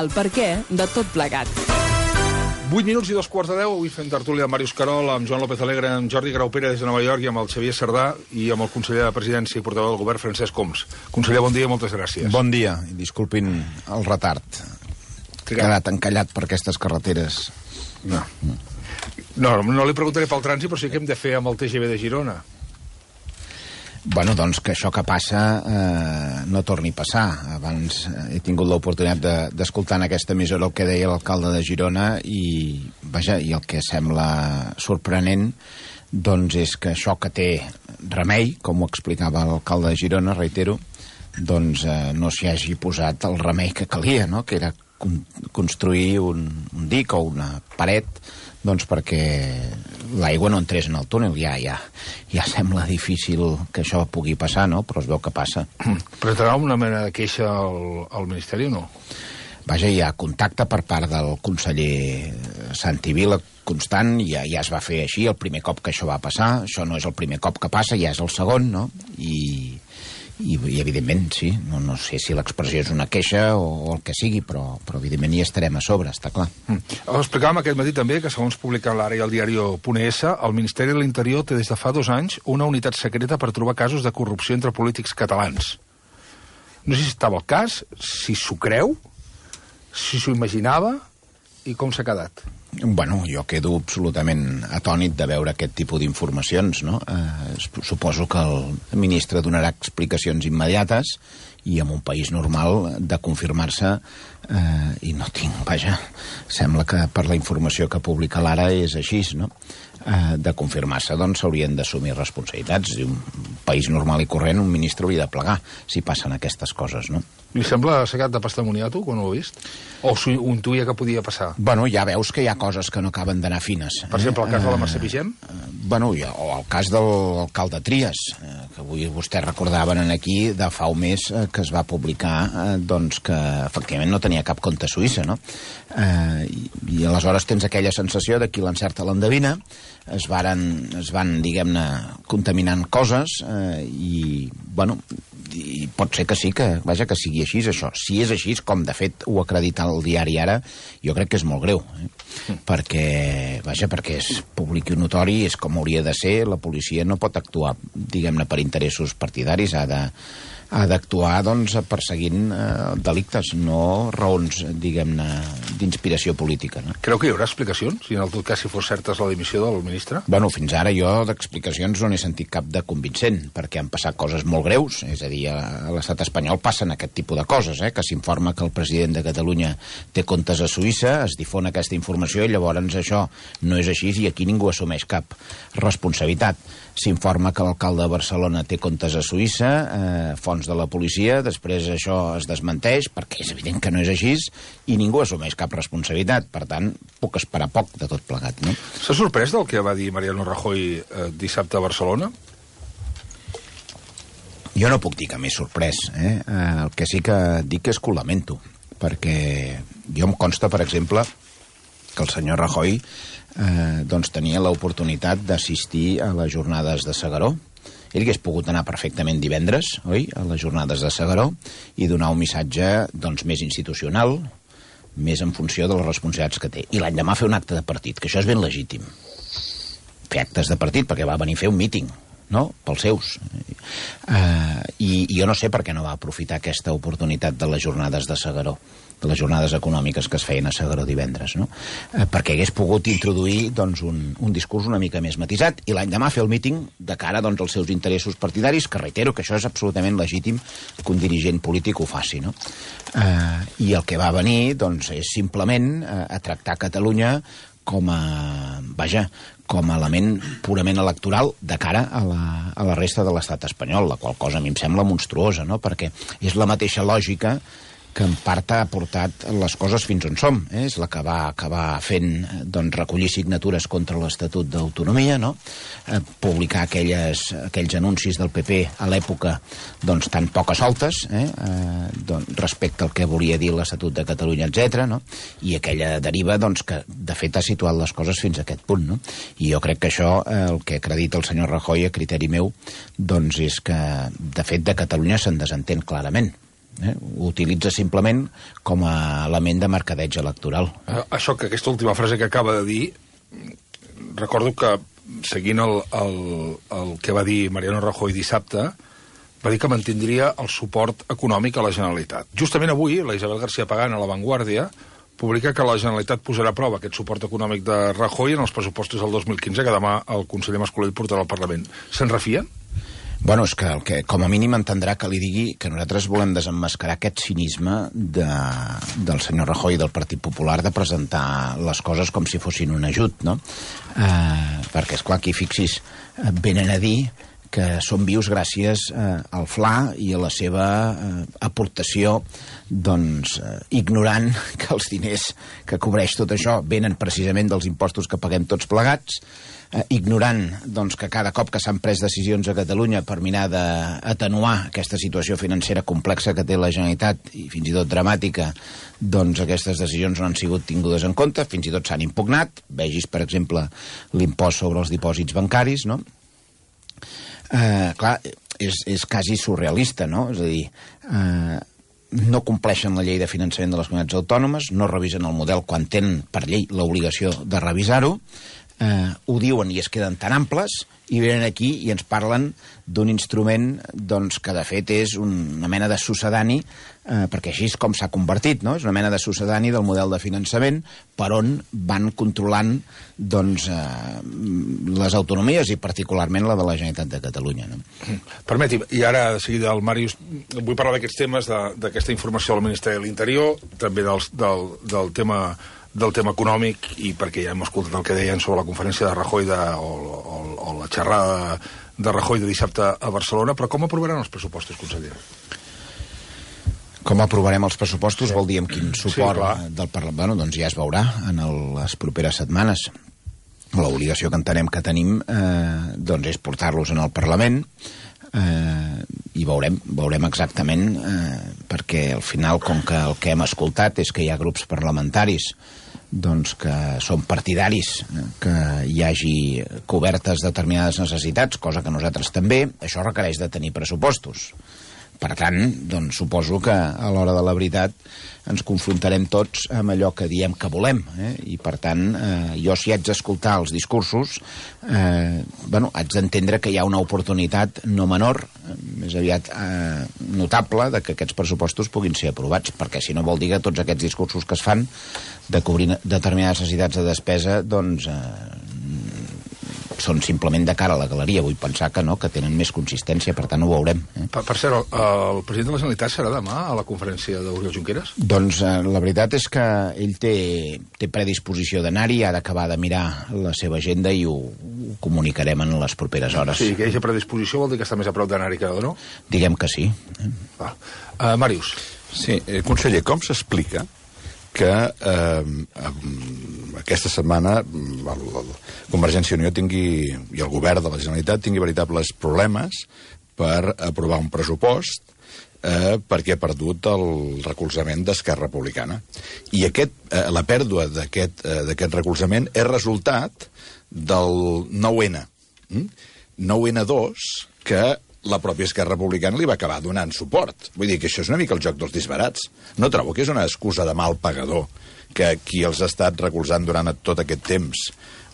el perquè de tot plegat. 8 minuts i 2:15, avui fem tertúlia amb Màrius Carol, amb Joan López Alegre, amb Jordi Graupera des de Nova York i amb el Xavier Sardà i amb el conseller de Presidència i portaveu del govern, Francesc Homs. Conseller, bon dia i moltes gràcies. Bon dia, i disculpin el retard. He quedat encallat per aquestes carreteres. No li preguntaré pel trànsit, però sí que hem de fer amb el TGV de Girona. Bueno, doncs que això que passa no torni a passar. Abans he tingut l'oportunitat d'escoltar en aquesta emissora el que deia l'alcalde de Girona i el que sembla sorprenent doncs és que això que té remei, com ho explicava l'alcalde de Girona, reitero, doncs no s'hi hagi posat el remei que calia, no? Que era construir un dic o una paret doncs perquè l'aigua no entrés en el túnel. Ja sembla difícil que això pugui passar, no? Però es veu que passa. Presentarà una mena de queixa al Ministeri o no? Vaja, hi ha contacte per part del conseller Santi Vila constant, ja es va fer així el primer cop que això va passar. Això no és el primer cop que passa, ja és el segon, no? I evidentment, sí, no sé si l'expressió és una queixa o el que sigui, però evidentment hi estarem a sobre, està clar. Ho explicàvem aquest matí també, que segons publica l'Ara i el diario.es, el Ministeri de l'Interior té des de fa 2 anys una unitat secreta per trobar casos de corrupció entre polítics catalans. No sé si estava al cas, si s'ho creu, si s'ho imaginava i com s'ha quedat. Bueno, jo quedo absolutament atònit de veure aquest tipus d'informacions, no? Suposo que el ministre donarà explicacions immediates i en un país normal de confirmar-se i no tinc, vaja, sembla que per la informació que publica l'Ara és així, no? De confirmar-se, doncs s'haurien d'assumir responsabilitats. En un país normal i corrent un ministre hauria de plegar si passen aquestes coses, no? Li sembla assecat de pastamoniar, tu, quan ho ha vist? O s'ho intuïa que podia passar? Bueno, ja veus que hi ha coses que no acaben d'anar fines. Per exemple, el cas de la Mercè Vigem? Bueno, o el cas de l'alcalde Trias, que avui vostès recordaven aquí de fa un mes que es va publicar doncs que efectivament no tenia cap compte a Suïssa, no? I aleshores tens aquella sensació de qui l'encerta l'endevina, es van, diguem-ne, contaminant coses i, bueno, i pot ser que sí, que sigui així, això. Si és així, com de fet ho acredita el diari Ara, jo crec que és molt greu, perquè es públic i notori, és com hauria de ser, la policia no pot actuar, diguem-ne, per interessos partidaris, ha d'actuar, doncs, perseguint delictes, no raons, diguem-ne, d'inspiració política, no? Creu que hi haurà explicacions, si en el tot cas si fos certa la dimissió del ministre? Bueno, fins ara jo d'explicacions no n'he sentit cap de convincent, perquè han passat coses molt greus, és a dir, a l'estat espanyol passen aquest tipus de coses, que s'informa que el president de Catalunya té comptes a Suïssa, es difon aquesta informació i llavors això no és així i aquí ningú assumeix cap responsabilitat. S'informa que l'alcalde de Barcelona té comptes a Suïssa, fonts de la policia, després això es desmenteix, perquè és evident que no és així, i ningú assumeix cap responsabilitat. Per tant, puc esperar poc de tot plegat, no? S'ha sorprès del que va dir Mariano Rajoy dissabte a Barcelona? Jo no puc dir que m'he sorprès, El que sí que dic és que ho lamento, perquè jo em consta, per exemple, que el senyor Rajoy doncs tenia l'oportunitat d'assistir a les jornades de S'Agaró. Ell hagués pogut anar perfectament divendres, oi?, a les jornades de S'Agaró i donar un missatge doncs més institucional, més en funció de les responsabilitats que té. I l'endemà fer un acte de partit, que això és ben legítim. Fer actes de partit, perquè va venir a fer un míting, no?, pels seus. I jo no sé per què no va aprofitar aquesta oportunitat de les jornades de S'Agaró, de les jornades econòmiques que es feien a S'Agaró divendres, no? Perquè hagués pogut introduir doncs, un discurs una mica més matisat i l'endemà fer el míting de cara doncs, als seus interessos partidaris, que reitero que això és absolutament legítim que un dirigent polític ho faci, no? I el que va venir doncs, és simplement a tractar Catalunya com a element purament electoral de cara a la resta de l'estat espanyol, la qual cosa a mi em sembla monstruosa, no? Perquè és la mateixa lògica que en part ha portat les coses fins on som. És la que va acabar fent doncs, recollir signatures contra l'Estatut d'Autonomia, no? Publicar aquells anuncis del PP a l'època doncs, tan poques soltes doncs, respecte al que volia dir l'Estatut de Catalunya, etc. No? I aquella deriva doncs, que de fet ha situat les coses fins a aquest punt. No? I jo crec que això, el que acredita el senyor Rajoy, a criteri meu, doncs és que de fet de Catalunya se'n desentén clarament. Ho utilitza simplement com a element de mercadeig electoral. Això, que aquesta última frase que acaba de dir, recordo que, seguint el que va dir Mariano Rajoy dissabte, va dir que mantindria el suport econòmic a la Generalitat. Justament avui, la Isabel García Pagán, a La Vanguardia, publica que la Generalitat posarà a prova aquest suport econòmic de Rajoy en els pressupostos del 2015, que demà el conseller Mas-Colell portarà al Parlament. Se'n refien? Bueno, és que com a mínim entendrà que li digui que nosaltres volem desemmascarar aquest cinisme del senyor Rajoy i del Partit Popular de presentar les coses com si fossin un ajut, no? Perquè, esclar, aquí fixis, venen a dir que són vius gràcies al FLA i a la seva aportació, doncs, ignorant que els diners que cobreix tot això venen precisament dels impostos que paguem tots plegats, ignorant doncs, que cada cop que s'han pres decisions a Catalunya per mirar d'atenuar aquesta situació financera complexa que té la Generalitat i fins i tot dramàtica, doncs aquestes decisions no han sigut tingudes en compte, fins i tot s'han impugnat. Vegis, per exemple, l'impost sobre els dipòsits bancaris, no? Clar, és quasi surrealista, no? És a dir, no compleixen la llei de finançament de les comunitats autònomes, no revisen el model quan tenen per llei l'obligació de revisar-ho, ho diuen i es queden tan amples i venen aquí i ens parlen d'un instrument doncs, que de fet és una mena de succedani, perquè així és com s'ha convertit, no? És una mena de succedani del model de finançament per on van controlant doncs, les autonomies i particularment la de la Generalitat de Catalunya, no? Permeti'm, i ara de seguida el Màrius, vull parlar d'aquests temes, d'aquesta informació del Ministeri de l'Interior, també del tema econòmic, i perquè ja hem escoltat el que deien sobre la conferència de Rajoy o la xerrada de Rajoy de dissabte a Barcelona, però com aprovaran els pressupostos, conseller? Com aprovarem els pressupostos vol dir amb quin suport del Parlament. Bueno, doncs ja es veurà en les properes setmanes. L'obligació que entenem que tenim doncs és portar-los en el Parlament i veurem exactament perquè al final, com que el que hem escoltat és que hi ha grups parlamentaris doncs que són partidaris que hi hagi cobertes determinades necessitats, cosa que nosaltres també, això requereix de tenir pressupostos. Per tant, doncs, suposo que a l'hora de la veritat ens confrontarem tots amb allò que diem que volem, i per tant, jo si haig d'escoltar els discursos, haig d'entendre que hi ha una oportunitat no menor, més aviat notable, de que aquests pressupostos puguin ser aprovats, perquè si no vol dir que tots aquests discursos que es fan de cobrir determinades necessitats de despesa, doncs són simplement de cara a la galeria. Vull pensar que no, que tenen més consistència, per tant ho veurem. Per cert, el president de la Generalitat serà demà a la conferència d'Oriol Junqueras? Doncs la veritat és que ell té predisposició d'anar-hi, ha d'acabar de mirar la seva agenda i ho comunicarem en les properes hores. Sí, que hi hagi predisposició vol dir que està més a prop d'anar-hi que no? Diguem que sí. Màrius. Sí, conseller, com s'explica que aquesta setmana Convergència i Unió i el govern de la Generalitat tingui veritables problemes per aprovar un pressupost perquè ha perdut el recolzament d'Esquerra Republicana. I la pèrdua d'aquest recolzament és resultat del 9-N. 9-N2, que la pròpia Esquerra Republicana li va acabar donant suport. Vull dir que això és una mica el joc dels disbarats. No trobo que és una excusa de mal pagador que qui els ha estat recolzant durant tot aquest temps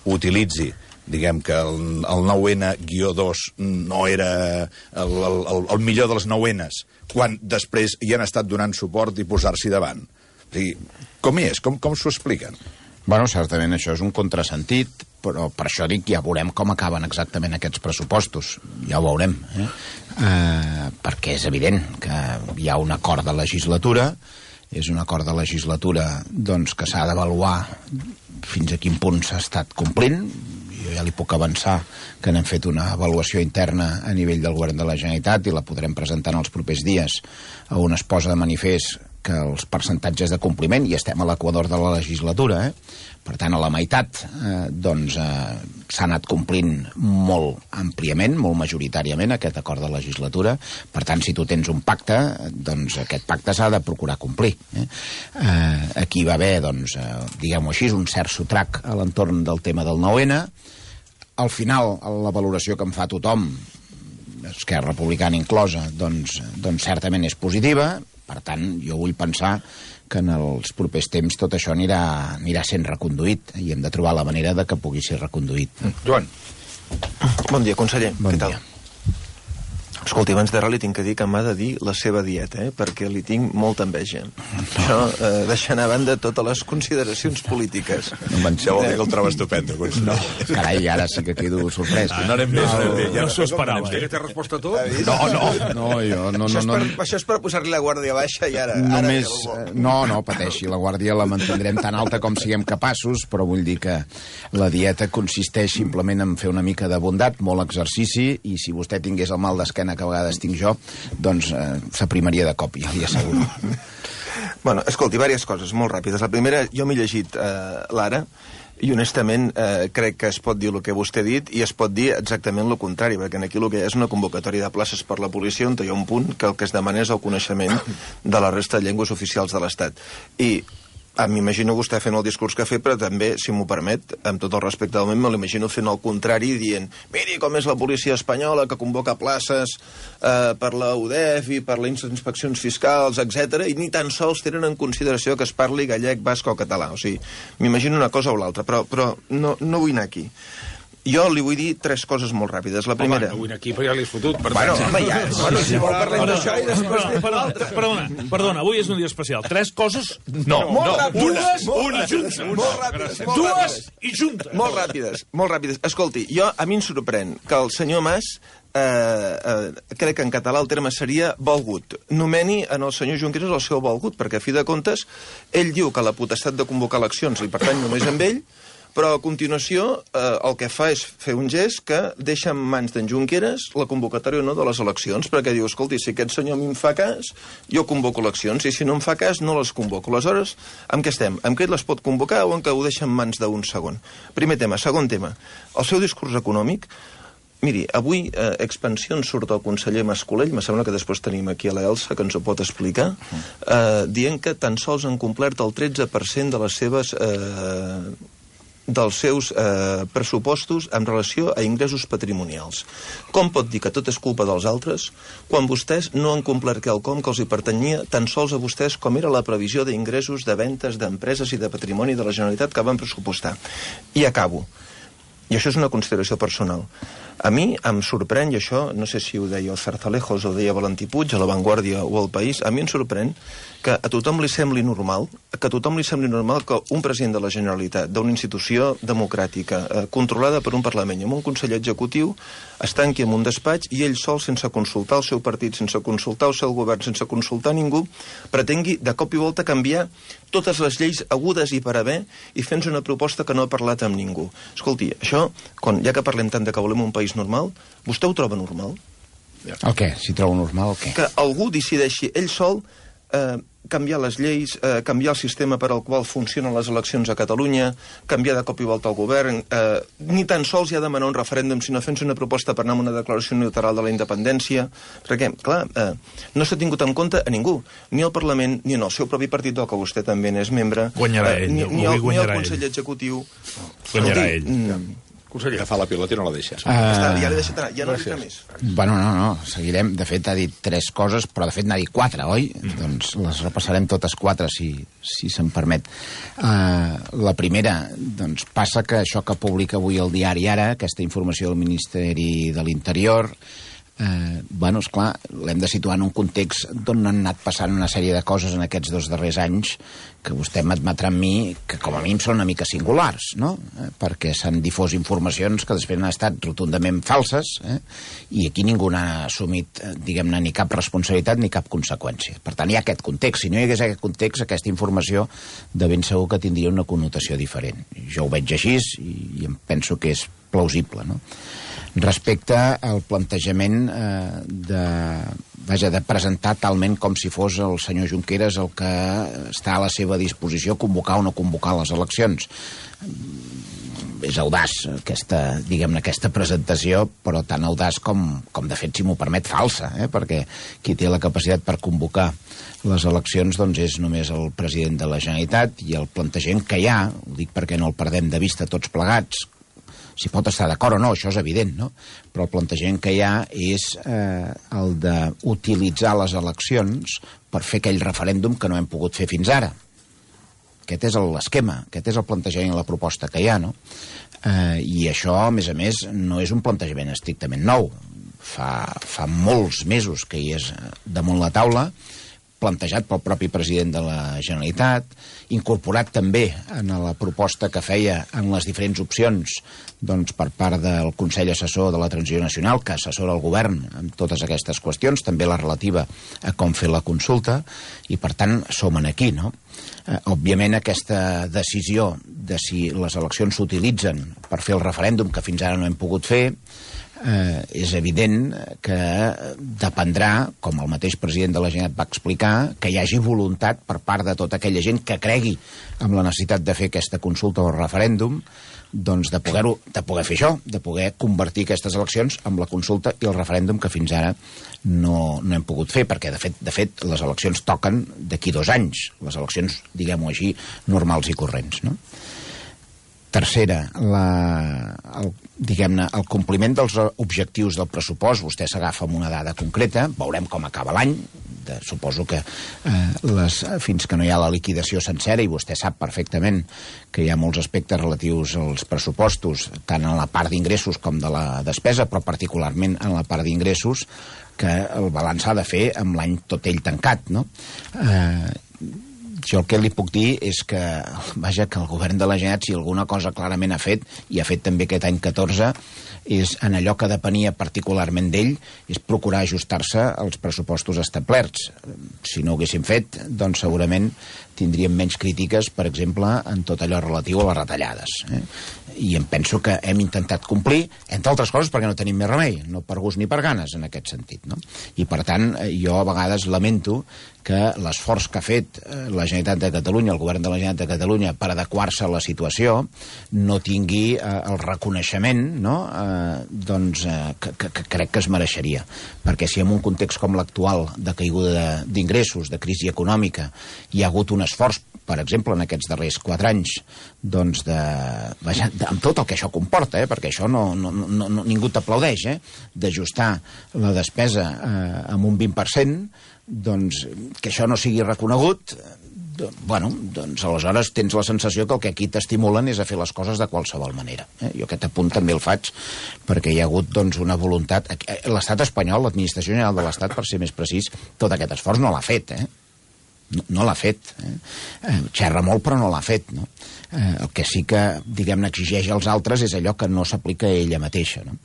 utilitzi, diguem que el 9N-2 no era el millor dels 9Ns, quan després hi han estat donant suport i posar-s'hi davant. O sigui, com és? Com s'ho expliquen? Bueno, certament això és un contrasentit, però per això dic, ja veurem com acaben exactament aquests pressupostos. Ja ho veurem, perquè és evident que hi ha un acord de legislatura, és un acord de legislatura doncs, que s'ha d'avaluar fins a quin punt s'ha estat complint. Jo ja li puc avançar que n'hem fet una avaluació interna a nivell del govern de la Generalitat i la podrem presentar en els propers dies, on es posa de manifest que els percentatges de compliment, i estem a l'equador de la legislatura, per tant, a la meitat, s'ha anat complint molt àmpliament, molt majoritàriament, aquest acord de legislatura. Per tant, si tu tens un pacte, doncs aquest pacte s'ha de procurar complir. Aquí va haver, doncs, diguem-ho així, un cert sotrac a l'entorn del tema del 9N. Al final, la valoració que en fa tothom, Esquerra Republicana inclosa, doncs certament és positiva. Per tant, jo vull pensar que en els propers temps tot això anirà sent reconduït i hem de trobar la manera de que pugui ser reconduït. Joan. Bon dia, conseller. Bon Què tal? dia. Escolti, abans de res li tinc que dir que m'ha de dir la seva dieta, perquè li tinc molta enveja. Això, deixant a banda totes les consideracions polítiques. Això vol dir que el troba estupendo, conseller. Carai, ara sí que quedo sorprès. No anem bé, Ja no s'ho esperava. Que té resposta a tot? No, jo no... Això és per posar-li la guàrdia baixa i ara... Només, no pateixi, la guàrdia la mantindrem tan alta com siguem capaços, però vull dir que la dieta consisteix simplement en fer una mica de bondat, molt exercici, i si vostè tingués el mal d'esquena que a vegades tinc jo, doncs s'aprimaria de cop, ja li asseguro. Bueno, escolti, diverses coses molt ràpides. La primera, jo m'he llegit l'Ara, i honestament crec que es pot dir el que vostè ha dit i es pot dir exactament el contrari, perquè aquí el que és una convocatòria de places per la policia on hi ha un punt que el que es demana és el coneixement de la resta de llengües oficials de l'Estat. I m'imagino vostè fent el discurs que ha fet, però també, si m'ho permet, amb tot el respecte del moment, me l'imagino fent el contrari, dient, miri com és la policia espanyola que convoca places per la UDEF i per les inspeccions fiscals, etc i ni tan sols tenen en consideració que es parli gallec, basc o català. O sigui, m'imagino una cosa o l'altra, però no vull anar aquí. Jo li vull dir 3 coses molt ràpides. La primera... Home, no vull anar aquí, però ja l'he fotut. Si vol parlar d'això i després... Perdona, avui és un dia especial. 3 coses? No, Una junta. Molt ràpides. Dues i juntes. Molt ràpides. Escolti, a mi em sorprèn que el senyor Mas, crec que en català el terme seria volgut, nomeni en el senyor Junqueras el seu volgut, perquè a fi de comptes ell diu que la potestat de convocar eleccions li pertany només amb ell, però a continuació el que fa és fer un gest que deixa en mans d'en Junqueras la convocatòria o no de les eleccions, perquè diu, escolti, si aquest senyor a mi em fa cas, jo convoco eleccions, i si no em fa cas, no les convoco. Aleshores, amb què estem? Amb què les pot convocar o en què ho deixa en mans d'un segon? Primer tema. Segon tema. El seu discurs econòmic, miri, avui Expansió surt el conseller Mas-Colell, me sembla que després tenim aquí a l'Elsa, que ens ho pot explicar, dient que tan sols han complert el 13% de les seves... dels seus pressupostos en relació a ingressos patrimonials. Com pot dir que tot és culpa dels altres quan vostès no han complert quelcom que els hi pertanyia tan sols a vostès com era la previsió d'ingressos de ventes d'empreses i de patrimoni de la Generalitat que van pressupostar? I acabo. I això és una consideració personal. A mi em sorprèn, i això no sé si ho deia el Zarzalejos o ho deia Valentí Puig, a La Vanguardia o al País, a mi em sorprèn que a tothom li sembli normal, que un president de la Generalitat, d'una institució democràtica, controlada per un Parlament i amb un conseller executiu, es tanqui en un despatx i ell sol, sense consultar el seu partit, sense consultar el seu govern, sense consultar ningú, pretengui de cop i volta canviar totes les lleis agudes i per haver i fent una proposta que no ha parlat amb ningú. Escolti, això, ja que parlem tant de que volem un país normal, vostè ho troba normal? El què? Si trobo normal, el què? Que algú decideixi ell sol canviar les lleis, canviar el sistema per al qual funcionen les eleccions a Catalunya, canviar de cop i volta el govern, ni tan sols hi ha de demanar un referèndum, sinó fent una proposta per anar amb una declaració unilateral de la independència, perquè, clar, no s'ha tingut en compte a ningú, ni al Parlament, ni en el seu propi partit, del que vostè també n'és membre, Guanyarà ell, ni el conseller executiu. Guanyarà ell. Conseller. Agafar la pilota i no la deixa. Ja l'he deixat anar, ja no dic més. Bueno, no, seguirem. De fet, ha dit 3 coses, però de fet n'ha dit 4, oi? Doncs les repassarem totes 4, si se'm permet. La primera, doncs passa que això que publica avui el diari Ara, aquesta informació del Ministeri de l'Interior, bueno, esclar, l'hem de situar en un context d'on han anat passant una sèrie de coses en aquests 2 darrers anys que vostè m'admetrà amb mi que com a mínim són una mica singulars, no? Perquè s'han difós informacions que després han estat rotundament falses, i aquí ningú n'ha assumit, diguem-ne, ni cap responsabilitat ni cap conseqüència. Per tant, hi ha aquest context. Si no hi hagués aquest context, aquesta informació de ben segur que tindria una connotació diferent. Jo ho veig així i em penso que és plausible, no? Respecte al plantejament de presentar talment com si fos el senyor Junqueras el que està a la seva disposició convocar o no convocar les eleccions. És audaç aquesta presentació, però tan audaç com de fet, si m'ho permet, falsa, perquè qui té la capacitat per convocar les eleccions doncs és només el president de la Generalitat, i el plantejament que hi ha, ho dic perquè no el perdem de vista tots plegats, s'hi pot estar d'acord o no, això és evident, no? Però el plantejament que hi ha és el d'utilitzar les eleccions per fer aquell referèndum que no hem pogut fer fins ara. Aquest és l'esquema, aquest és el plantejament i la proposta que hi ha, no? I això, a més, no és un plantejament estrictament nou. Fa molts mesos que hi és damunt la taula, plantejat pel propi president de la Generalitat, incorporat també en la proposta que feia en les diferents opcions doncs, per part del Consell Assessor de la Transició Nacional, que assessora el govern en totes aquestes qüestions, també la relativa a com fer la consulta, i per tant som aquí, no? Òbviament aquesta decisió de si les eleccions s'utilitzen per fer el referèndum que fins ara no hem pogut fer, és evident que dependrà, com el mateix president de la Generalitat va explicar, que hi hagi voluntat per part de tota aquella gent que cregui amb la necessitat de fer aquesta consulta o referèndum, doncs de poder fer això, de poder convertir aquestes eleccions amb la consulta i el referèndum que fins ara no hem pogut fer, perquè de fet les eleccions toquen d'aquí 2 anys, les eleccions, diguem-ho així, normals i corrents, no? Tercera, el compliment dels objectius del pressupost. Vostè s'agafa amb una dada concreta, veurem com acaba l'any, suposo que fins que no hi ha la liquidació sencera, i vostè sap perfectament que hi ha molts aspectes relatius als pressupostos, tant en la part d'ingressos com de la despesa, però particularment en la part d'ingressos, que el balanç s'ha de fer amb l'any tot ell tancat, no? Jo el que li puc dir és que, vaja, que el govern de la Generalitat, si alguna cosa clarament ha fet, i ha fet també aquest any 14, és en allò que depenia particularment d'ell, és procurar ajustar-se als pressupostos establerts. Si no ho haguéssim fet, doncs segurament tindríem menys crítiques, per exemple, en tot allò relatiu a les retallades. I em penso que hem intentat complir, entre altres coses perquè no tenim més remei, no per gust ni per ganes, en aquest sentit, no? I per tant, jo a vegades lamento que l'esforç que ha fet la Generalitat de Catalunya, el govern de la Generalitat de Catalunya, per adequar-se a la situació, no tingui el reconeixement, no?, que crec que es mereixeria. Perquè si en un context com l'actual, de caiguda d'ingressos, de crisi econòmica, hi ha hagut un esforç, per exemple, en aquests darrers 4 anys, doncs amb tot el que això comporta, perquè això ningú t'aplaudeix, d'ajustar la despesa amb un 20%, doncs que això no sigui reconegut, doncs aleshores tens la sensació que el que aquí t'estimulen és a fer les coses de qualsevol manera. Jo aquest apunt també el faig perquè hi ha hagut doncs una voluntat. L'estat espanyol, l'administració general de l'Estat, per ser més precís, tot aquest esforç no l'ha fet, no l'ha fet. Xerra molt però no l'ha fet, no? El que sí que, diguem-ne, exigeix als altres és allò que no s'aplica a ella mateixa, no?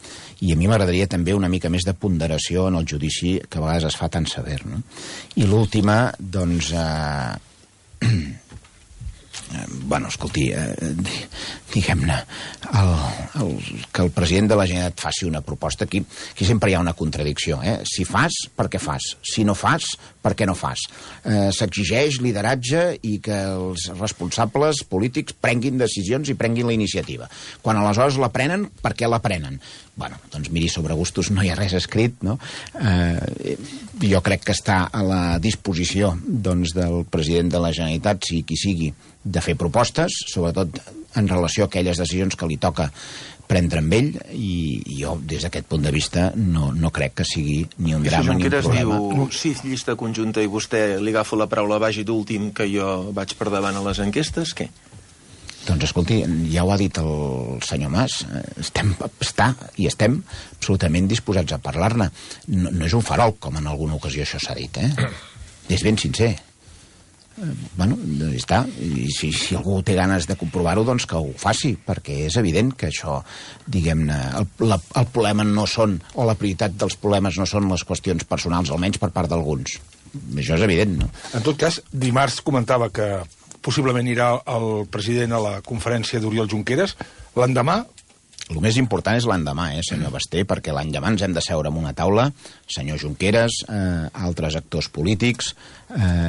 I a mi m'agradaria també una mica més de ponderació en el judici que a vegades es fa tan sever, no? I l'última, doncs... escolti, diguem-ne, que el president de la Generalitat faci una proposta, aquí sempre hi ha una contradicció, si fas, per què fas? Si no fas, per què no fas? S'exigeix lideratge i que els responsables polítics prenguin decisions i prenguin la iniciativa. Quan aleshores la prenen, per què la prenen? Doncs miri, sobre gustos no hi ha res escrit, no? Jo crec que està a la disposició del president de la Generalitat, sigui qui sigui, de fer propostes, sobretot en relació a aquelles decisions que li toca prendre amb ell, i jo, des d'aquest punt de vista, no crec que sigui ni un drama ni un problema. Diu, sí, llista conjunta, i vostè li agafo la paraula, vagi d'últim, que jo vaig per davant a les enquestes, què? Doncs escolti, ja ho ha dit el senyor Mas, estem absolutament disposats a parlar-ne. No és un farol, com en alguna ocasió això s'ha dit, És ben sincer. Està. I si algú té ganes de comprovar-ho, doncs que ho faci, perquè és evident que això, diguem-ne, el problema no són, o la prioritat dels problemes no són les qüestions personals, almenys per part d'alguns. Això és evident, no? En tot cas, dimarts comentava que possiblement irà el president a la conferència d'Oriol Junqueras. L'endemà... El més important és l'endemà, senyor Basté, perquè l'endemà ens hem de seure en una taula, senyor Junqueras, altres actors polítics,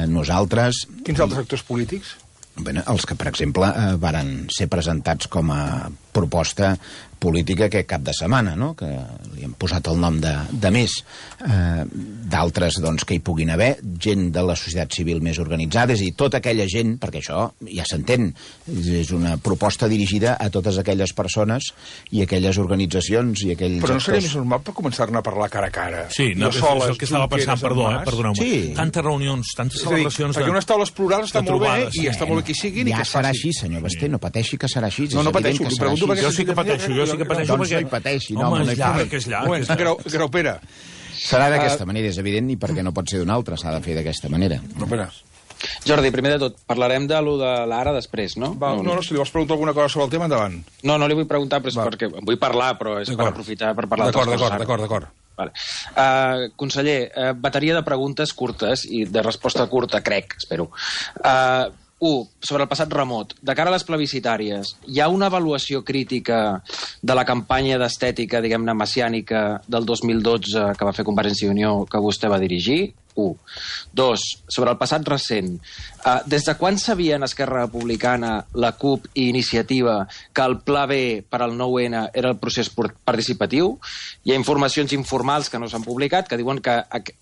nosaltres... Quins altres actors polítics? Els que, per exemple, varen ser presentats com a proposta política aquest cap de setmana, no? Que li hem posat el nom de més. D'altres doncs, que hi puguin haver, gent de la societat civil més organitzada, és a dir, tota aquella gent, perquè això ja s'entén, és una proposta dirigida a totes aquelles persones i aquelles organitzacions i aquells Però no seria actors. més normal per començar-ne a parlar cara a cara? Sí, no, és el que estava pensant, perdoneu-me. Sí. Tantes reunions, tantes És a dir, celebracions... perquè unes taules plurals està de molt bé trobades. i està molt bé que hi siguin i Ja que es serà faci. així, senyor Basté, no pateixi que serà així. No, no és evident pateixo, que li serà pregunto així. perquè Jo sí que pateixo Doncs perquè... no hi pateixi, no, Home, no és hi llarg, pateixi. és llarg. Un moment, Graupera. Serà d'aquesta manera, és evident, i perquè no pot ser d'una altra, s'ha de fer d'aquesta manera. Graupera. Jordi, primer de tot, parlarem de lo de l'ara després, no? Va, no, si li vols preguntar alguna cosa sobre el tema, endavant. No li vull preguntar, però és perquè vull parlar, però és per aprofitar per parlar d'altres coses. D'acord. Vale. Conseller, bateria de preguntes curtes i de resposta curta, crec, espero. Sobre el passat remot. De cara a les plebiscitàries, hi ha una avaluació crítica de la campanya d'estètica, diguem-ne, messiànica del 2012 que va fer Convergència i Unió que vostè va dirigir? 1. 2. Sobre el passat recent. Des de quan sabien Esquerra Republicana, la CUP i Iniciativa que el Pla B per al 9-N era el procés participatiu? Hi ha informacions informals que no s'han publicat que diuen que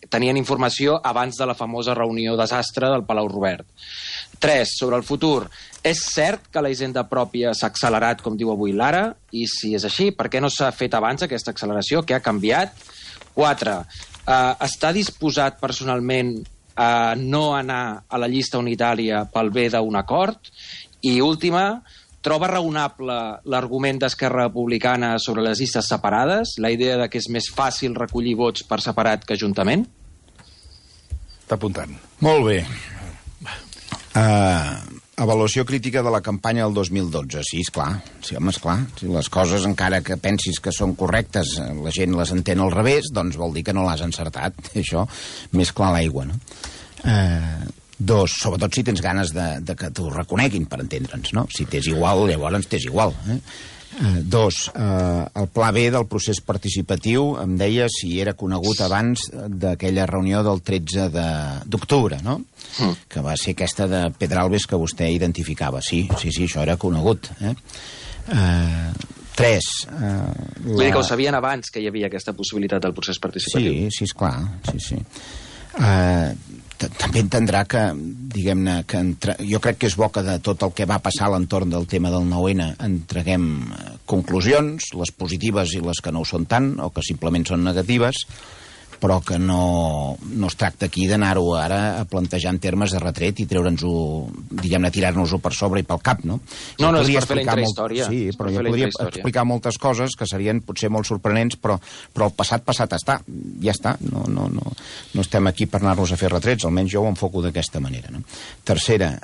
tenien informació abans de la famosa reunió desastre del Palau Robert. 3. Sobre el futur. És cert que la hisenda pròpia s'ha accelerat, com diu avui l'Ara? I si és així, per què no s'ha fet abans aquesta acceleració? Què ha canviat? 4. Està disposat personalment a no anar a la llista unitària pel bé d'un acord? I última, troba raonable l'argument d'Esquerra Republicana sobre les llistes separades? La idea de que és més fàcil recollir vots per separat que juntament? Està apuntant. Molt bé. Avaluació crítica de la campanya del 2012. Sí, esclar. Sí, home, esclar. Si les coses, encara que pensis que són correctes, la gent les entén al revés, doncs vol dir que no l'has encertat. Això, més clar l'aigua, no? 2. Sobretot si tens ganes de que t'ho reconeguin, per entendre'ns, no? Si t'és igual, llavors t'és igual, 2. El pla B del procés participatiu, em deia si era conegut abans d'aquella reunió del 13 d'octubre, no? Que va ser aquesta de Pedralbes que vostè identificava. Sí, això era conegut. 3. Vull dir que ho sabien abans que hi havia aquesta possibilitat del procés participatiu. Sí, esclar. Sí. També entendrà que, diguem-ne, jo crec que és bo que de tot el que va passar a l'entorn del tema del 9-N en traguem conclusions, les positives i les que no ho són tant, o que simplement són negatives, però que no es tracta aquí d'anar-ho ara a plantejar en termes de retret i treure'ns-ho, diguem-ne, tirar-nos-ho per sobre i pel cap, no? No, és per fer la intrahistòria. Sí, però jo podria explicar moltes coses que serien potser molt sorprenents, però el passat està. Ja està. No estem aquí per anar-nos a fer retrets, almenys jo ho enfoco d'aquesta manera, no? Tercera,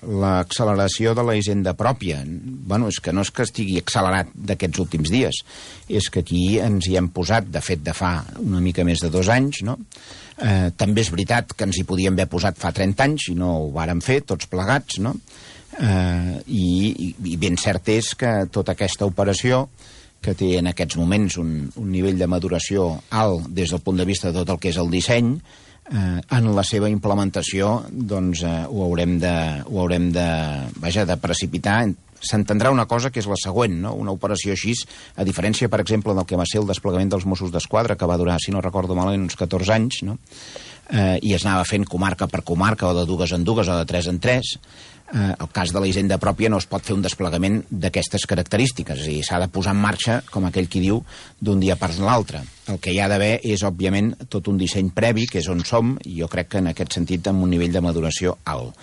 l'acceleració de la hisenda pròpia. Bueno, és que no és que estigui accelerat d'aquests últims dies, és que aquí ens hi hem posat, de fet, de fa una mica més de 2 anys, no? També és veritat que ens hi podíem haver posat fa 30 anys i no ho vàrem fer, tots plegats, no? I ben cert és que tota aquesta operació, que té en aquests moments un nivell de maduració alt des del punt de vista de tot el que és el disseny, en la seva implementació doncs ho haurem de precipitar. S'entendrà una cosa que és la següent, no? Una operació així, a diferència, per exemple, del que va ser el desplegament dels Mossos d'Esquadra, que va durar, si no recordo malament, uns 14 anys, no? I es anava fent comarca per comarca, o de 2 en 2, o de 3 en 3. El cas de la hisenda pròpia no es pot fer un desplegament d'aquestes característiques, és a dir, s'ha de posar en marxa, com aquell qui diu, d'un dia per l'altre. El que hi ha d'haver és, òbviament, tot un disseny previ, que és on som, i jo crec que en aquest sentit amb un nivell de maduració alt.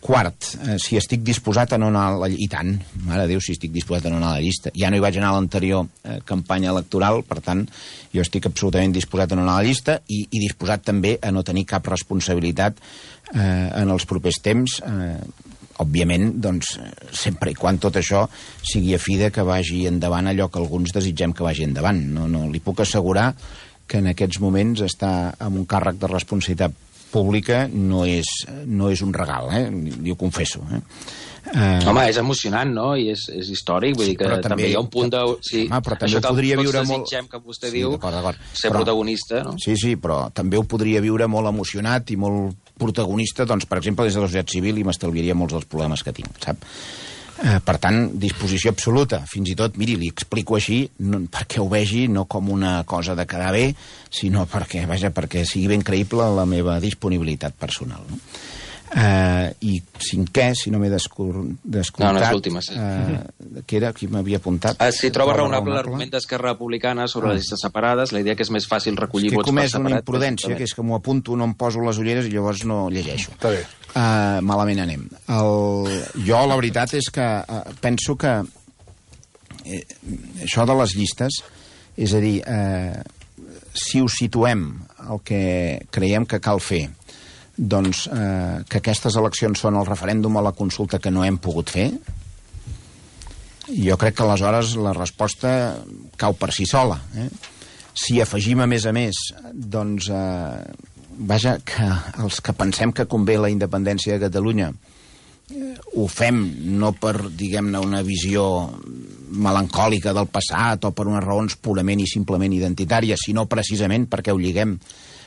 Quart, si estic disposat a no anar a la llista. I tant, mare de Déu, si estic disposat a no anar a la llista. Ja no hi vaig anar a l'anterior campanya electoral, per tant, jo estic absolutament disposat a no anar a la llista i disposat també a no tenir cap responsabilitat en els propers temps, òbviament, doncs, sempre i quan tot això sigui a fi de que vagi endavant allò que alguns desitgem que vagi endavant. No li puc assegurar que en aquests moments estar amb un càrrec de responsabilitat pública no és un regal, li ho confesso. Home, és emocionant, no? I és històric, vull dir que també hi ha un punt de... Sí, però també ho podria viure molt... Això que vostè diu, ser protagonista, no? Sí, però també ho podria viure molt emocionat i molt protagonista, doncs, per exemple, des de la societat civil, i m'estalviaria molts dels problemes que tinc, sap? Per tant, disposició absoluta. Fins i tot, miri, li explico així, perquè ho vegi no com una cosa de quedar bé, sinó perquè sigui ben creïble la meva disponibilitat personal. No? I cinquè, si no m'he descomptat... No, és l'última, sí. Què era? Qui m'havia apuntat? Si troba raonable l'argument d'Esquerra Republicana sobre les llistes separades, la idea que és més fàcil recollir vots per separat... És que he comès una imprudència, que és que m'ho apunto, no em poso les ulleres i llavors no llegeixo. Està bé. Malament anem. Jo, la veritat és que penso que això de les llistes, és a dir, si ho situem el que creiem que cal fer, doncs que aquestes eleccions són el referèndum o la consulta que no hem pogut fer, jo crec que aleshores la resposta cau per si sola. Si afegim a més, doncs, que els que pensem que convé la independència de Catalunya ho fem no per, diguem-ne, una visió melancòlica del passat o per unes raons purament i simplement identitàries, sinó precisament perquè ho lliguem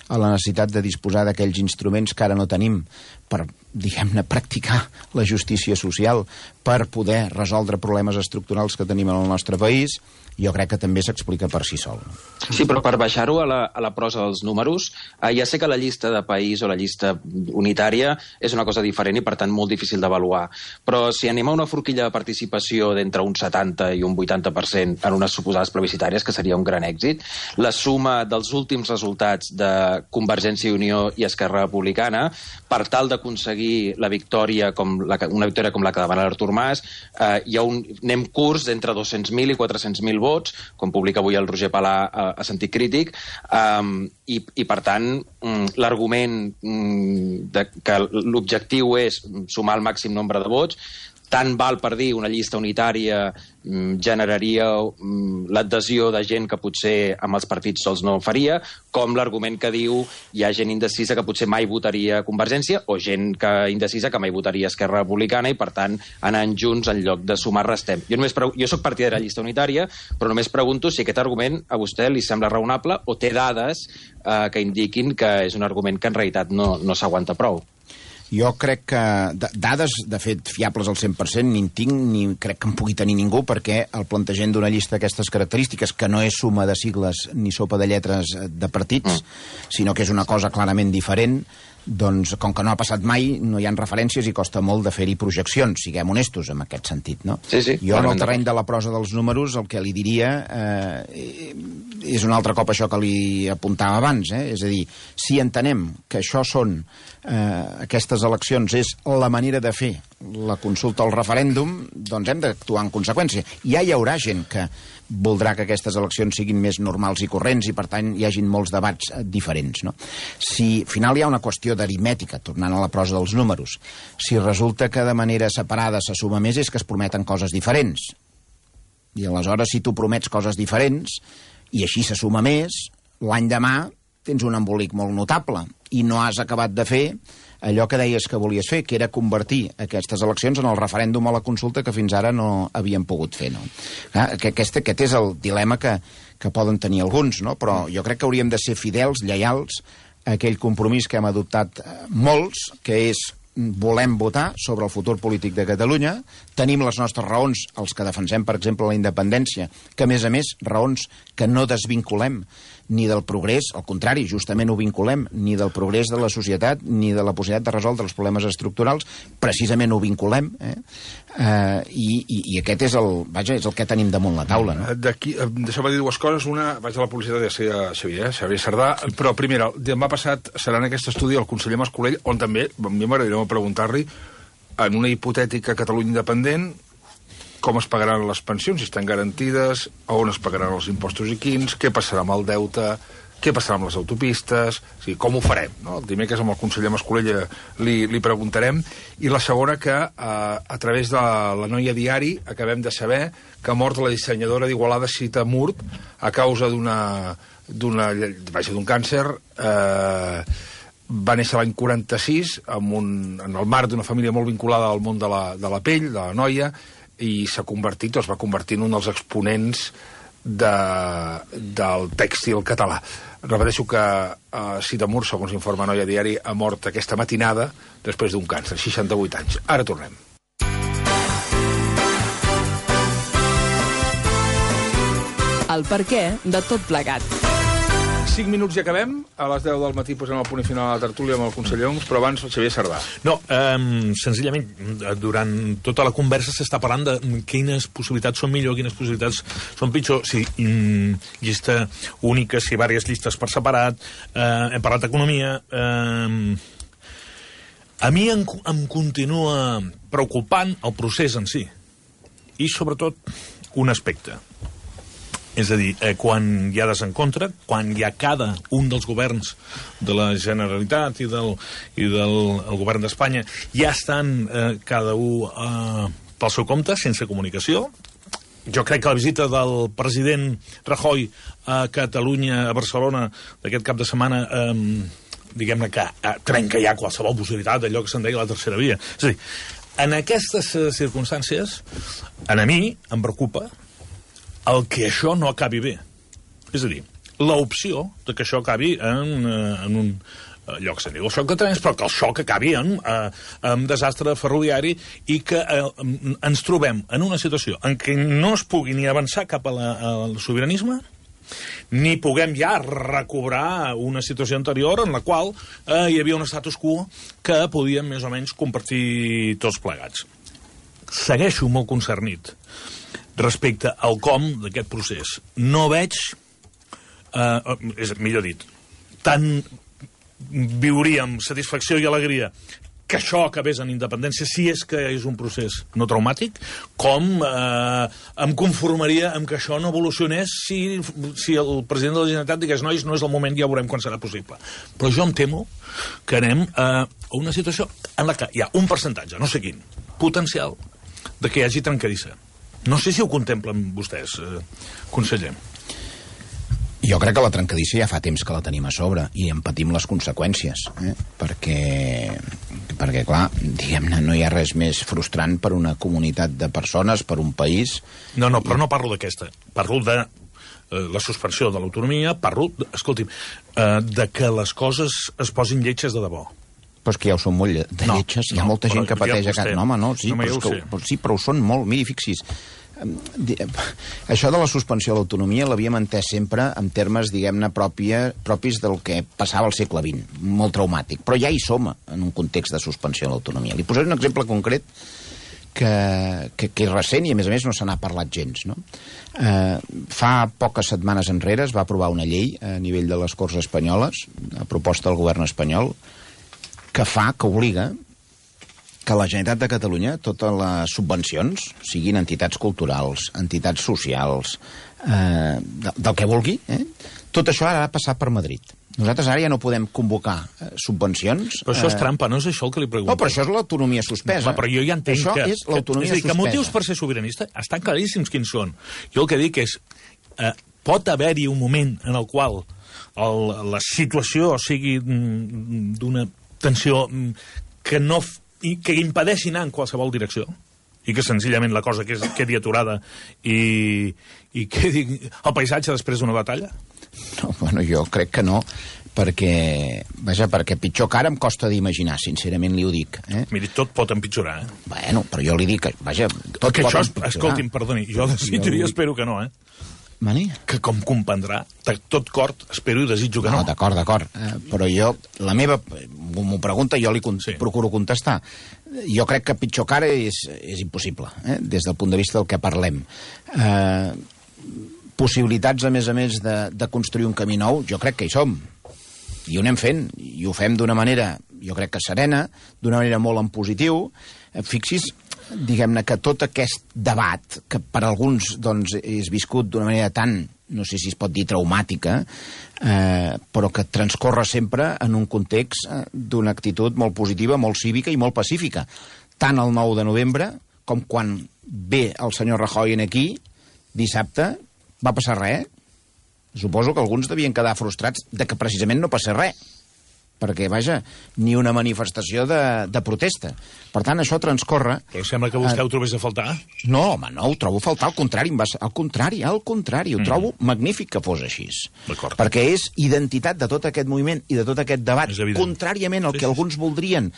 a la necessitat de disposar d'aquells instruments que ara no tenim per, diguem-ne, practicar la justícia social, per poder resoldre problemes estructurals que tenim en el nostre país, jo crec que també s'explica per si sol. Sí, però per baixar-ho a la prosa dels números, ja sé que la llista de país o la llista unitària és una cosa diferent i, per tant, molt difícil d'avaluar. Però si anem a una forquilla de participació d'entre un 70 i un 80% en unes suposades plebiscitàries, que seria un gran èxit, la suma dels últims resultats de Convergència i Unió i Esquerra Republicana, per tal d'aconseguir la victòria una victòria com la que demana l'Artur Mas, anem curts d'entre 200.000 i 400.000 vots, com publica avui el Roger Palà a Sentit Crític, i per tant l'argument que l'objectiu és sumar el màxim nombre de vots, tant val per dir una llista unitària generaria l'adhesió de gent que potser amb els partits sols no faria, com l'argument que diu hi ha gent indecisa que potser mai votaria Convergència o gent indecisa que mai votaria Esquerra Republicana i, per tant, anant junts en lloc de sumar restem. Jo soc partidari de la llista unitària, però només pregunto si aquest argument a vostè li sembla raonable o té dades que indiquin que és un argument que en realitat no s'aguanta prou. Jo crec que dades, de fet, fiables al 100% ni en tinc, ni crec que en pugui tenir ningú, perquè el plantejament d'una llista d'aquestes característiques, que no és suma de sigles ni sopa de lletres de partits, sinó que és una cosa clarament diferent, doncs, com que no ha passat mai, no hi ha referències i costa molt de fer-hi projeccions, siguem honestos en aquest sentit, no? Sí, jo, en el terreny de la prosa dels números, el que li diria és un altre cop això que li apuntava abans, és a dir, si entenem que això són aquestes eleccions és la manera de fer la consulta o el referèndum, doncs hem d'actuar en conseqüència. Ja hi haurà gent que voldrà que aquestes eleccions siguin més normals i corrents i, per tant, hi hagin molts debats diferents, no? Si al final hi ha una qüestió d'aritmètica, tornant a la prosa dels números, si resulta que de manera separada se suma més és que es prometen coses diferents. I aleshores, si tu promets coses diferents i així se suma més, l'any demà tens un embolic molt notable i no has acabat de fer allò que deies que volies fer, que era convertir aquestes eleccions en el referèndum o la consulta que fins ara no havien pogut fer, no? Aquest és el dilema que poden tenir alguns, no? Però jo crec que hauríem de ser fidels, lleials, a aquell compromís que hem adoptat molts, que és volem votar sobre el futur polític de Catalunya, tenim les nostres raons, els que defensem, per exemple, la independència, que, a més, raons que no desvinculem ni del progrés, al contrari, justament ho vinculem, ni del progrés de la societat, ni de la possibilitat de resoldre els problemes estructurals, precisament ho vinculem, i aquest és el que tenim damunt la taula. No? Deixeu-me dir dues coses. Una, vaig a la publicitat de Xavier Sardà, però primera, demà passat serà en aquest estudi el conseller Mascolell, on també, a mi m'agradaria preguntar-li, en una hipotètica Catalunya independent, com es pagaran les pensions, si estan garantides, on es pagaran els impostos i quins, què passarà amb el deute, què passarà amb les autopistes, o sigui, com ho farem, no? El dimecres amb el conseller Mascolell li preguntarem. I la segona, que a través de la Noia Diari acabem de saber que ha mort la dissenyadora d'Igualada, Sita Murt, a causa d'un càncer. Va néixer l'any 46 en el marc d'una família molt vinculada al món de la pell, de la noia, i es va convertir en un dels exponents del tèxtil català. Repeteixo que Sita Murt, segons informa Noia Diari, ha mort aquesta matinada després d'un càncer, 68 anys. Ara tornem. el perquè de tot plegat. 5 minuts i acabem. A les 10 del matí posem el punt final a la tertúlia amb el conseller Homs, però abans el Xavier Sardà. No, senzillament, durant tota la conversa s'està parlant de quines possibilitats són millor, quines possibilitats són pitjor, si llista única, si diverses llistes per separat, hem parlat d'economia. A mi em continua preocupant el procés en si, i sobretot un aspecte. És a dir, quan hi ha desencontre, quan hi ha cada un dels governs de la Generalitat i del govern d'Espanya ja estan cada un pel seu compte, sense comunicació. Jo crec que la visita del president Rajoy a Catalunya, a Barcelona, d'aquest cap de setmana, diguem-ne que trenca ja qualsevol possibilitat d'allò que se'n deia la tercera via. És a dir, en aquestes circumstàncies, a mi em preocupa el que això no acabi bé. És a dir, l'opció de que això acabi en un lloc que se'n diu el xoc de trens, però que el xoc acabi en desastre ferroviari i que ens trobem en una situació en què no es pugui ni avançar cap al sobiranisme, ni puguem ja recobrar una situació anterior en la qual hi havia un status quo que podíem més o menys compartir tots plegats. Segueixo molt concernit respecte al com d'aquest procés. No veig, millor dit, tant viuríem satisfacció i alegria que això acabés en independència, si és que és un procés no traumàtic, com em conformaria amb que això no evolucionés si el president de la Generalitat digués nois, no és el moment, ja veurem quan serà possible. Però jo em temo que anem a una situació en la que hi ha un percentatge, no sé quin, potencial, de que hi hagi trencadissa. No sé si ho contemplen vostès, conseller. Jo crec que la trencadissa ja fa temps que la tenim a sobre i en patim les conseqüències, perquè clar, diguem-ne, no hi ha res més frustrant per una comunitat de persones, per un país... No, però no parlo d'aquesta. Parlo de la suspensió de l'autonomia, escolti'm, de que les coses es posin lletges de debò. Però és que ja ho són molt de lletges, hi ha molta gent que pateix a casa. No, home, no, sí, però ho són molt. Miri, fixi's, això de la suspensió de l'autonomia l'havíem entès sempre en termes, diguem-ne, propis del que passava al segle XX, molt traumàtic. Però ja hi som en un context de suspensió de l'autonomia. Li posaré un exemple concret que és recent i, a més no se n'ha parlat gens. No? Fa poques setmanes enrere es va aprovar una llei a nivell de les Corts Espanyoles, a proposta del govern espanyol, que obliga que la Generalitat de Catalunya, totes les subvencions, siguin entitats culturals, entitats socials, del que vulgui, tot això ha de passar per Madrid. Nosaltres ara ja no podem convocar subvencions... Però això és trampa, no és això el que li pregunto? No, però això és l'autonomia suspesa. No, però jo ja entenc això és l'autonomia suspesa. Que motius per ser sobiranista estan claríssims quins són. Jo el que dic és, pot haver-hi un moment en el qual la situació sigui d'una tensió que impedeixi anar en qualsevol direcció i que senzillament la cosa quedi aturada i quedi el paisatge després d'una batalla? No, bueno, jo crec que no, perquè pitjor que ara em costa d'imaginar, sincerament li ho dic. Miri, tot pot empitjorar, Bueno, però jo li dic que, tot que pot això, empitjorar. Escolti'm, perdoni, jo desitjaria, espero que no, Mani? Que com comprendrà, de tot cor, espero i desitjo que no. No, d'acord. Però jo, la meva... M'ho pregunta, jo li procuro contestar. Jo crec que pitjor que ara és impossible, des del punt de vista del que parlem. Possibilitats, a més, de construir un camí nou, jo crec que hi som. I ho anem fent, i ho fem d'una manera, jo crec que serena, d'una manera molt en positiu. Fixis, diguem-ne, que tot aquest debat, que per alguns doncs, és viscut d'una manera tan, no sé si es pot dir traumàtica, però que transcorre sempre en un context d'una actitud molt positiva, molt cívica i molt pacífica. Tant el 9 de novembre com quan ve el senyor Rajoy aquí, dissabte, va passar res. Suposo que alguns devien quedar frustrats de que precisament no passés res. Perquè, vaja, ni una manifestació de protesta. Per tant, això transcorre... Però sembla que vostè ho trobés a faltar? No, home, no, ho trobo a faltar, al contrari, ho trobo magnífic que fos així. Perquè és identitat de tot aquest moviment i de tot aquest debat, contràriament al que alguns voldrien,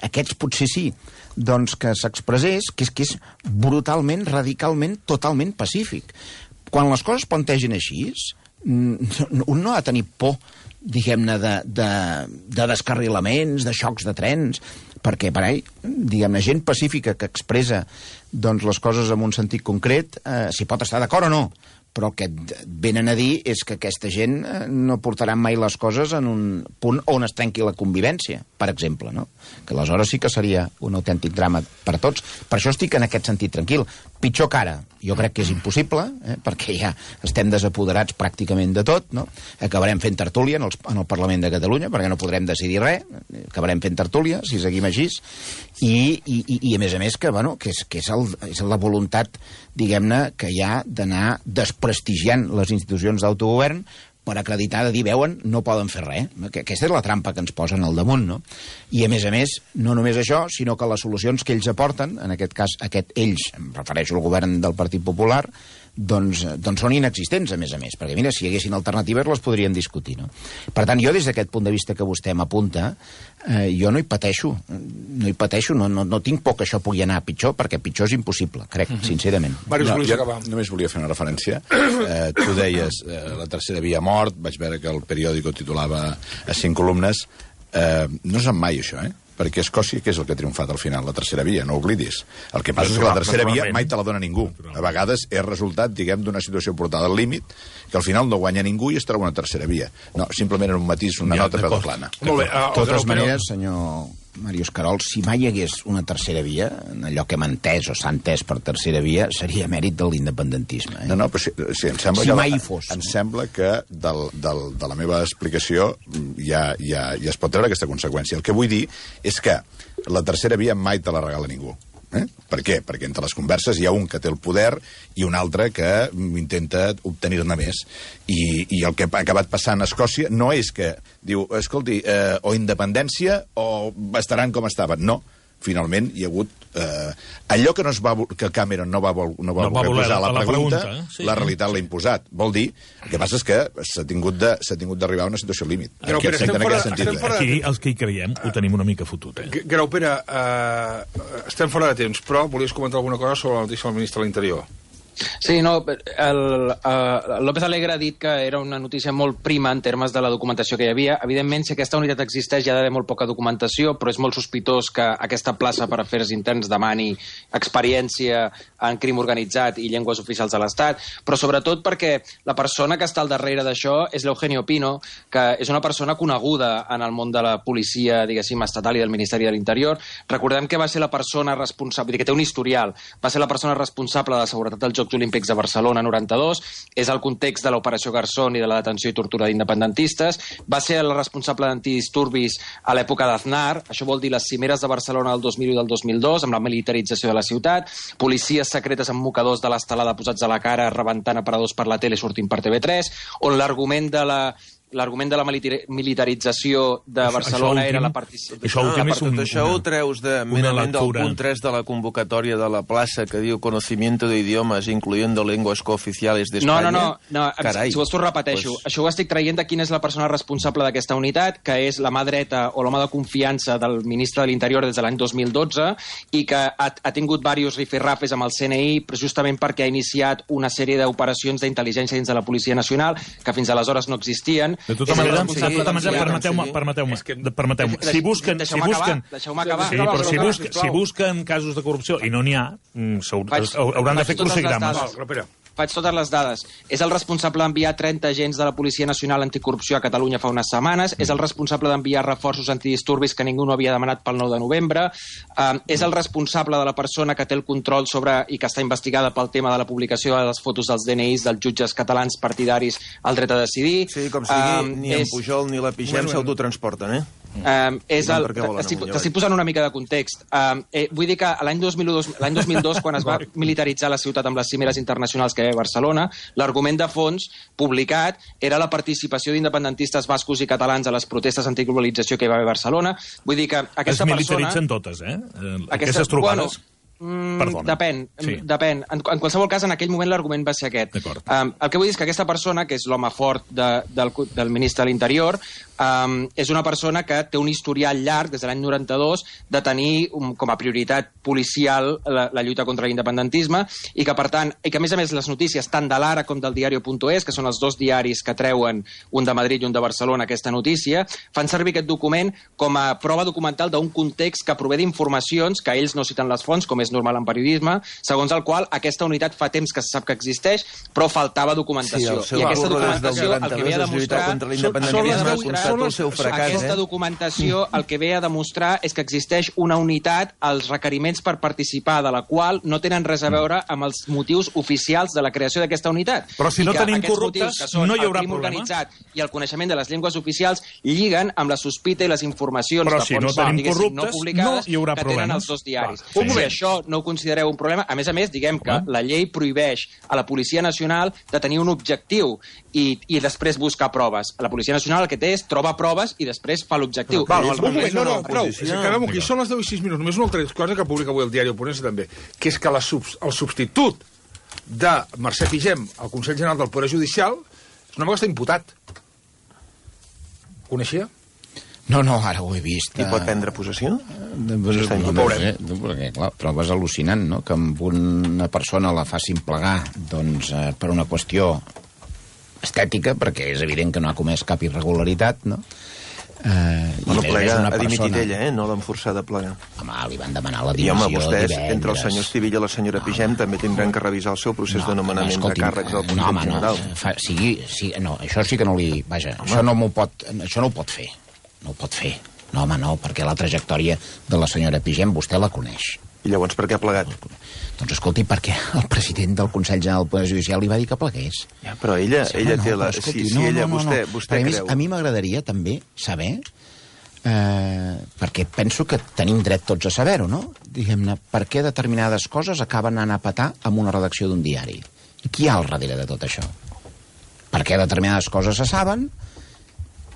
aquests potser sí, doncs que s'expressés, que és brutalment, radicalment, totalment pacífic. quan les coses plantegen així, un no ha de tenir por, diguem-ne, de descarrilaments, de xocs de trens, perquè, per ahí, diguem-ne, gent pacífica que expressa doncs, les coses en un sentit concret, s'hi pot estar d'acord o no, però el que venen a dir és que aquesta gent no portaran mai les coses en un punt on es trenqui la convivència, per exemple, no? Que aleshores sí que seria un autèntic drama per a tots. Per això estic en aquest sentit tranquil. Pitjor que ara, jo crec que és impossible, perquè ja estem desapoderats pràcticament de tot, no? Acabarem fent tertúlia en el Parlament de Catalunya, perquè no podrem decidir res, acabarem fent tertúlia, si seguim així, i a més, que, bueno, que és la voluntat, diguem-ne, que hi ha d'anar desprestigiant les institucions d'autogovern per acreditar, de dir, veuen, no poden fer res. Aquesta és la trampa que ens posen al damunt, no? I, a més, no només això, sinó que les solucions que ells aporten, en aquest cas, ells, em refereixo al govern del Partit Popular, doncs són inexistents, a més, perquè, mira, si hi haguessin alternatives les podríem discutir, no? Per tant, jo, des d'aquest punt de vista que vostè m'apunta, jo no hi pateixo, no tinc por que això pugui anar a pitjor, perquè pitjor és impossible, crec, sincerament. Màrius, jo només volia fer una referència. Tu deies, la tercera via mort, vaig veure que el periòdico titulava a 5 columnes. No sap mai això, perquè Escòcia, què és el que ha triomfat al final? La tercera via, no oblidis. El que passa és que la tercera via mai te la dona ningú. A vegades és resultat, diguem, d'una situació portada al límit, que al final no guanya ningú i es troba una tercera via. No, simplement era un matís, una nota peu de plana. De totes maneres, senyor Màrius Carol, si mai hi hagués una tercera via, allò que hem entès o s'ha entès per tercera via, seria mèrit de l'independentisme. No, però sí, em sembla si mai hi fos. Em sembla que de la meva explicació ja es pot treure aquesta conseqüència. El que vull dir és que la tercera via mai te la regala ningú. Per què? Perquè entre les converses hi ha un que té el poder i un altre que intenta obtenir-ne més. I el que ha acabat passant a Escòcia no és que diu, escolti, o independència o estaran com estaven. No. Finalment hi ha hagut allò que Cameron no va voler posar a la pregunta, la realitat l'ha imposat. Vol dir, el que passa és que s'ha tingut d'arribar a una situació límit. Però aquí els que hi creiem ho tenim una mica fotut. Grau, Pere, estem fora de temps, però volies comentar alguna cosa sobre la notícia del ministre de l'Interior? Sí, no, López Alegre ha dit que era una notícia molt prima en termes de la documentació que hi havia. Evidentment, si aquesta unitat existeix, hi ha d'haver molt poca documentació, però és molt sospitós que aquesta plaça per afers interns demani experiència en crim organitzat i llengües oficials de l'Estat, però sobretot perquè la persona que està al darrere d'això és l'Eugenio Pino, que és una persona coneguda en el món de la policia, diguéssim, estatal i del Ministeri de l'Interior. Recordem que va ser la persona responsable, que té un historial, va ser la persona responsable de la seguretat dels Jocs Olímpics de Barcelona 92, és el context de l'operació Garzón i de la detenció i tortura d'independentistes, va ser el responsable d'antidisturbis a l'època d'Aznar, això vol dir les cimeres de Barcelona del 2001 i del 2002, amb la militarització de la ciutat, policies secretes amb mocadors de l'estelada posats a la cara rebentant aparadors per la tele sortint per TV3, on l'argument de la militarització de Barcelona era la participació... Això ho treus merament del punt 3 de la convocatòria de la plaça que diu conocimiento de idiomas, incluyendo lenguas cooficiales d'Espanya. No, si vols t'ho repeteixo. Això ho estic traient de quina és la persona responsable d'aquesta unitat, que és la mà dreta o l'home de confiança del ministre de l'Interior des de l'any 2012 i que ha tingut diversos rifirrafes amb el CNI justament perquè ha iniciat una sèrie d'operacions d'intel·ligència dins de la Policia Nacional que fins aleshores no existien. De tota manera, permeteu-me. Si busquen... Deixeu-me acabar. Sí, però si busquen casos de corrupció i no n'hi ha, hauran de fer crucigrames. Faig totes les dades. És el responsable d'enviar 30 agents de la Policia Nacional Anticorrupció a Catalunya fa unes setmanes, és el responsable d'enviar reforços antidisturbis que ningú no havia demanat pel 9 de novembre, és el responsable de la persona que té el control sobre i que està investigada pel tema de la publicació de les fotos dels DNIs dels jutges catalans partidaris al dret a decidir. Sí, com sigui, ni en Pujol ni la Pigem s'autotransporten, T'estic posant una mica de context. Vull dir que l'any 2002, quan es va militaritzar la ciutat amb les cimeres internacionals que hi havia a Barcelona, l'argument de fons publicat era la participació d'independentistes bascos i catalans a les protestes antiglobalització que hi va haver a Barcelona. Vull dir que aquesta persona... Es militaritzen totes, Aquestes trobades... Depèn. En qualsevol cas, en aquell moment l'argument va ser aquest. El que vull dir és que aquesta persona, que és l'home fort del ministre de l'Interior, és una persona que té un historial llarg, des de l'any 92, de tenir com a prioritat policial la lluita contra l'independentisme, i que, per tant, a més les notícies tant de l'Ara com del diario.es, que són els dos diaris que treuen, un de Madrid i un de Barcelona, aquesta notícia, fan servir aquest document com a prova documental d'un context que prové d'informacions que ells no citen les fonts, com és normal en periodisme, segons el qual aquesta unitat fa temps que se sap que existeix, però faltava documentació. I aquesta documentació el que ve a demostrar... Aquesta documentació el que ve a demostrar és que existeix una unitat, els requeriments per participar de la qual no tenen res a veure amb els motius oficials de la creació d'aquesta unitat. Però si no tenim corruptes, no hi haurà problema. Organitzat i el coneixement de les llengües oficials lliguen amb la sospita i les informacions de fonts no publicades que tenen els dos diaris. Si això no ho considereu un problema, a més, diguem que la llei prohibeix a la Policia Nacional de tenir un objectiu i després buscar proves. La Policia Nacional el que té és troba proves i després fa l'objectiu. Prou. Acabem aquí. Són les 10 i 6 minuts. Només una altra cosa que publica avui el diario.es també, que és que el substitut de Mercè Pigem al Consell General del Poder Judicial és una vegada està imputat. Coneixia? No, ara ho he vist. I pot prendre possessió? Perquè, clar, trobes al·lucinant, no?, que amb una persona la facin plegar per una qüestió estètica, perquè és evident que no ha comès cap irregularitat, no? No plega, ha dimitit ella, no l'han forçat a plegar. Home, li van demanar la dimissió divendres. I vostès, entre el senyor Estivilla i la senyora Pigem, també tindran que revisar el seu procés de nomenament de càrrecs del Consell General. No, això sí que no li... Vaja, això no ho pot fer. No ho pot fer. No, home, no, perquè la trajectòria de la senyora Pigem vostè la coneix. I llavors per què ha plegat? Doncs escolti, perquè el president del Consell General del Poder Judicial li va dir que plegués. Ja, però ella té la... Vostè creu... A mi m'agradaria també saber, perquè penso que tenim dret tots a saber-ho, no? Diguem-ne, per què determinades coses acaben anant a petar amb una redacció d'un diari? I qui hi ha al darrere de tot això? Per què determinades coses se saben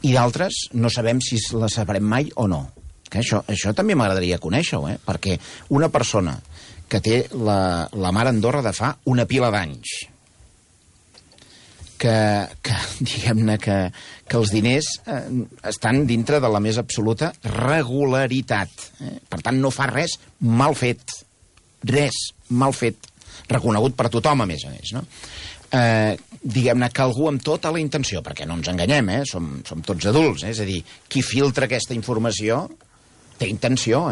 i d'altres no sabem si les sabrem mai o no? Que això també m'agradaria conèixer-ho, perquè una persona que té la mar Andorra de fa una pila d'anys, que diguem-ne que els diners estan dintre de la més absoluta regularitat. Per tant, no fa res mal fet. Res mal fet. Reconegut per tothom, a més, no? Diguem-ne que algú amb tota la intenció, perquè no ens enganyem, som tots adults, és a dir, qui filtra aquesta informació té intenció,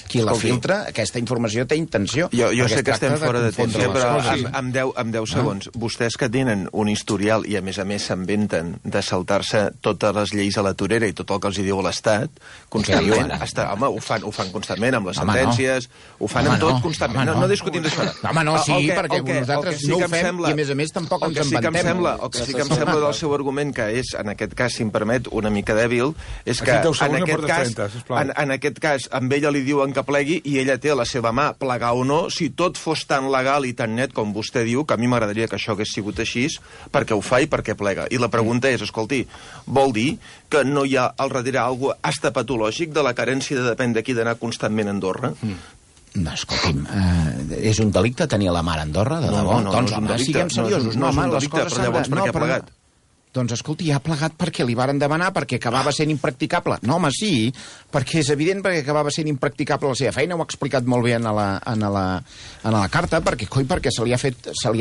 Qui la filtra, aquesta informació té intenció. Jo sé que estem fora de temps, però amb 10 segons. Vostès que tenen un historial i a més s'inventen de saltar-se totes les lleis a la torera i tot el que els diu l'Estat, constantment, home, ho fan constantment amb les sentències, ho fan amb tot constantment. No discutim d'això. Home, no, sí, perquè nosaltres no ho fem i a més tampoc ens inventem. El que sí que em sembla del seu argument, que és, en aquest cas, si em permet, una mica dèbil, és que en aquest cas amb ella li diuen que plegui i ella té a la seva mà plegar o no. Si tot fos tan legal i tan net com vostè diu, que a mi m'agradaria que això hagués sigut així, perquè ho fa i perquè plega. I la pregunta és, escolti, vol dir que no hi ha al darrere alguna cosa hasta patològic de la carència de depèn d'aquí d'anar constantment a Andorra? No, escolti'm, és un delicte tenir la mar a Andorra, de debò? Doncs, home, siguem seriosos. No és un delicte, però llavors per què ha plegat? Doncs, escolti, ha plegat perquè li varen demanar, perquè acabava sent impracticable. No, home, sí, perquè és evident perquè acabava sent impracticable la seva feina, ho ha explicat molt bé en la carta, perquè se li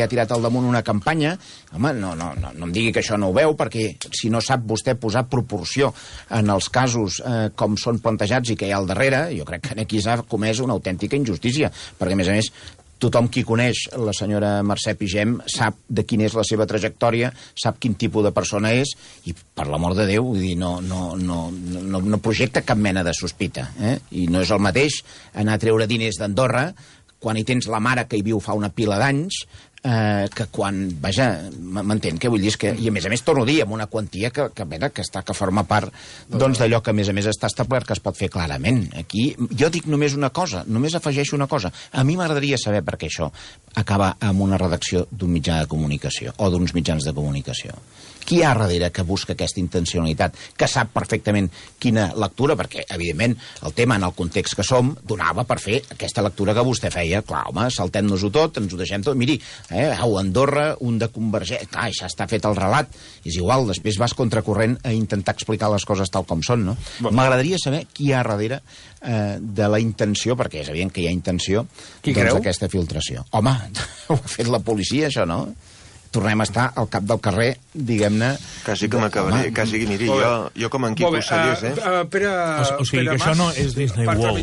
ha tirat al damunt una campanya. Home, no em digui que això no ho veu, perquè si no sap vostè posar proporció en els casos com són plantejats i que hi ha al darrere, jo crec que aquí s'ha comès una autèntica injustícia, perquè, a més, tothom qui coneix la senyora Mercè Pigem sap de quina és la seva trajectòria, sap quin tipus de persona és, i per l'amor de Déu, vull dir, no projecta cap mena de sospita. I no és el mateix anar a treure diners d'Andorra quan hi tens la mare que hi viu fa una pila d'anys, que quan, vaja, m'entén què vull dir, que, i a més torno a dir, amb una quantia que forma part d'allò que a més està establert que es pot fer clarament. Aquí jo dic només una cosa, només afegeixo una cosa. A mi m'agradaria saber per què això acaba amb una redacció d'un mitjà de comunicació o d'uns mitjans de comunicació. Qui hi ha darrere que busca aquesta intencionalitat, que sap perfectament quina lectura, perquè, evidentment, el tema en el context que som donava per fer aquesta lectura que vostè feia. Clar, home, saltem-nos-ho tot, ens ho deixem tot. Miri, Au, Andorra, un de Convergència... Clar, ja està fet el relat. És igual, després vas contracorrent a intentar explicar les coses tal com són, no? M'agradaria saber qui hi ha darrere de la intenció, perquè és evident que hi ha intenció, d'aquesta filtració. Home, ho ha fet la policia, això, no? Tornem a estar al cap del carrer, diguem-ne... Quasi que m'acabaré, quasi que miri, jo com en Quico Sallés, O sigui que això no és Disney World.